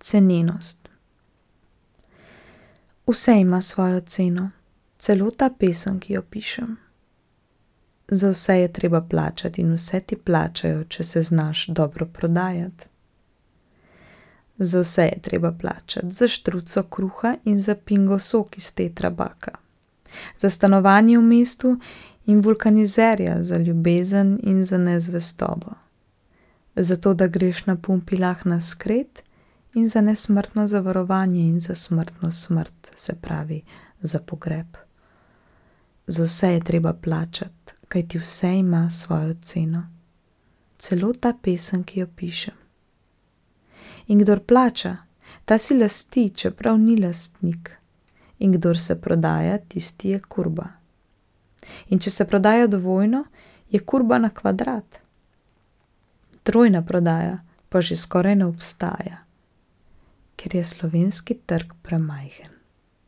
Cenenost. Vse ima svojo ceno, celo ta pesem, ki jo pišem. Za vse je treba plačati in vse ti plačajo, če se znaš dobro prodajati. Za vse je treba plačati, za štruco kruha in za pingo sok iz tetrabaka, za stanovanje v mestu in vulkanizerja, za ljubezen in za nezvestobo, za to, da greš na Pumpilah na skret in za nesmrtno zavarovanje in za smrtno smrt, se pravi za pogreb. Za vse je treba plačati, kajti vse ima svojo ceno, celo ta pesem, ki jo pišem. In kdor plača, ta si lasti, čeprav ni lastnik. In kdor se prodaja, tisti je kurba. In če se prodaja dvojno, je kurba na kvadrat. Trojna prodaja pa že skoraj ne obstaja, ker je slovenski trg premajhen.